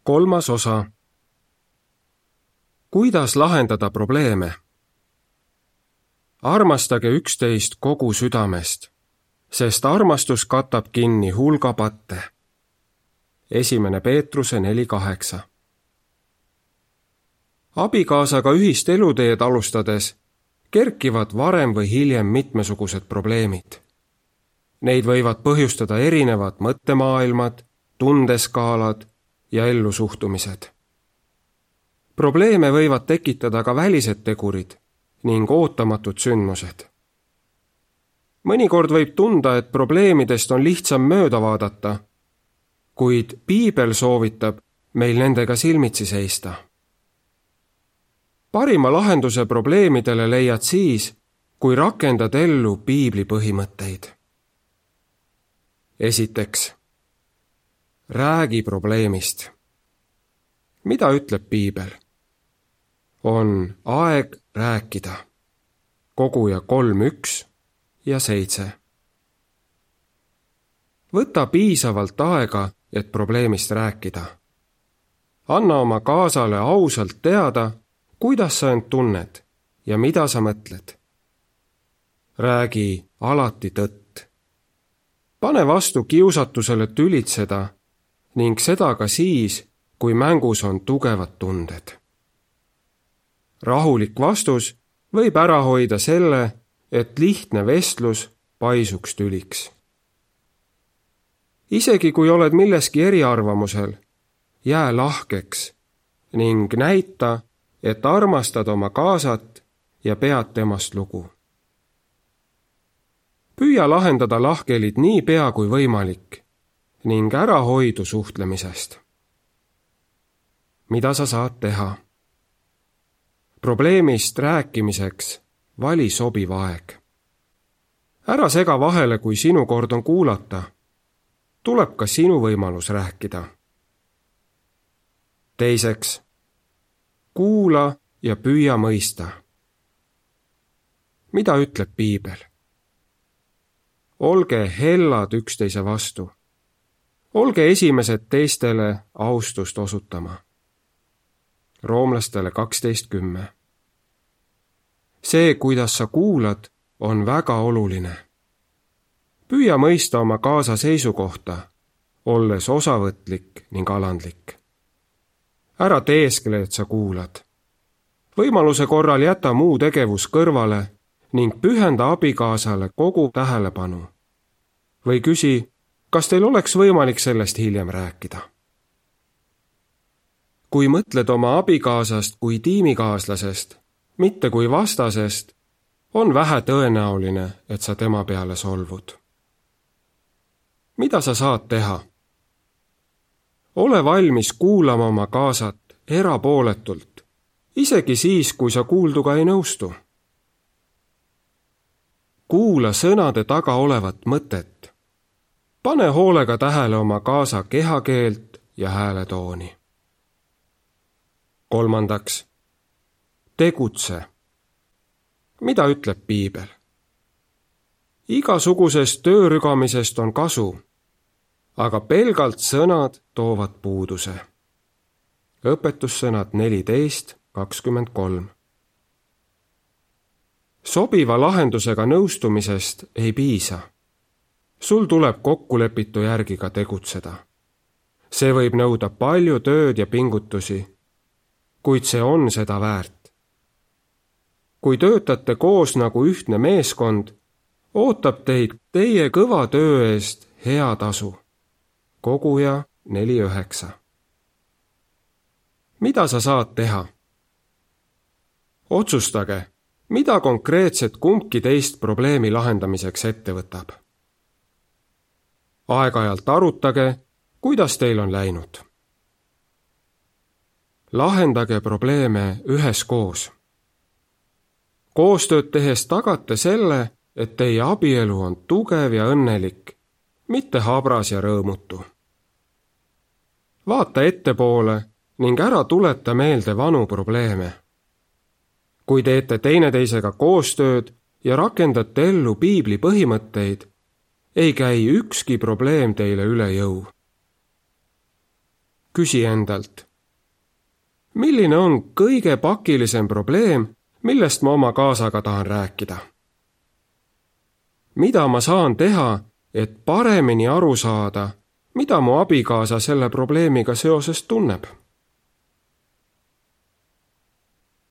3. osa. Kuidas lahendada probleeme? Armastage üksteist kogu südamest, sest armastus katab kinni hulga patte. 1. Peetruse 4.8. Abikaasaga ühist eluteed alustades kerkivad varem või hiljem mitmesugused probleemid. Neid võivad põhjustada erinevad mõttemaailmad, tundeskaalad ja ellusuhtumised. Probleeme võivad tekitada ka välised tegurid ning ootamatud sündmused. Mõnikord võib tunda, et probleemidest on lihtsam mööda vaadata, kuid Piibel soovitab meil nendega silmitsi seista. Parima lahenduse probleemidele leiad siis, kui rakendad ellu Piibli põhimõtteid. Esiteks, räägi probleemist. Mida ütleb Piibel? On aeg rääkida. Koguja 3.1 ja 7. Võta piisavalt aega, et probleemist rääkida. Anna oma kaasale ausalt teada, kuidas sa end tunned ja mida sa mõtled. Räägi alati tõtt. Pane vastu kiusatusele tülitseda ning seda ka siis, kui mängus on tugevad tunded. Rahulik vastus võib ära hoida selle, et lihtne vestlus paisuks tüliks. Isegi kui oled milleski eriarvamusel, jää lahkeks ning näita, et armastad oma kaasat ja pead temast lugu. Püüa lahendada lahkhelid nii pea kui võimalik ning ära hoidu suhtlemisest. Mida sa saad teha? Probleemist rääkimiseks vali sobiv aeg. Ära sega vahele, kui sinu kord on kuulata. Tuleb ka sinu võimalus rääkida. Teiseks, kuula ja püüa mõista. Mida ütleb Piibel? Olge hellad üksteise vastu. Olge esimesed teistele austust osutama. Roomlastele 12.10. See, kuidas sa kuulad, on väga oluline. Püüa mõista oma kaasa seisukohta, olles osavõtlik ning alandlik. Ära teeskle, et sa kuulad. Võimaluse korral jäta muu tegevus kõrvale ning pühenda abikaasale kogu tähelepanu. Või küsi, kas teil oleks võimalik sellest hiljem rääkida? Kui mõtled oma abikaasast kui tiimikaaslasest, mitte kui vastasest, on vähe tõenäoline, et sa tema peale solvud. Mida sa saad teha? Ole valmis kuulama oma kaasat erapooletult, isegi siis, kui sa kuulduga ei nõustu. Kuula sõnade taga olevat mõtet. Pane hoolega tähele oma kaasa kehakeelt ja hääletooni. Kolmandaks, tegutse. Mida ütleb Piibel? Igasugusest töörügamisest on kasu, aga pelgalt sõnad toovad puuduse. Õpetussõnad 14.23. Sobiva lahendusega nõustumisest ei piisa. Sul tuleb kokkulepitu järgi ka tegutseda. See võib nõuda palju tööd ja pingutusi, kuid see on seda väärt. Kui töötate koos nagu ühtne meeskond, ootab teid teie kõva töö eest hea tasu. Koguja 4.9. Mida sa saad teha? Otsustage, mida konkreetset kumbki teist probleemi lahendamiseks ette võtab. Aeg-ajalt arutage, kuidas teil on läinud. Lahendage probleeme üheskoos. Koostööd tehes tagate selle, et teie abielu on tugev ja õnnelik, mitte habras ja rõõmutu. Vaata ettepoole ning ära tuleta meelde vanu probleeme. Kui teete teineteisega koostööd ja rakendate ellu Piibli põhimõtteid, ei käi ükski probleem teile üle jõu. Küsi endalt. Milline on kõige pakilisem probleem, millest ma oma kaasaga tahan rääkida? Mida ma saan teha, et paremini aru saada, mida mu abikaasa selle probleemiga seoses tunneb?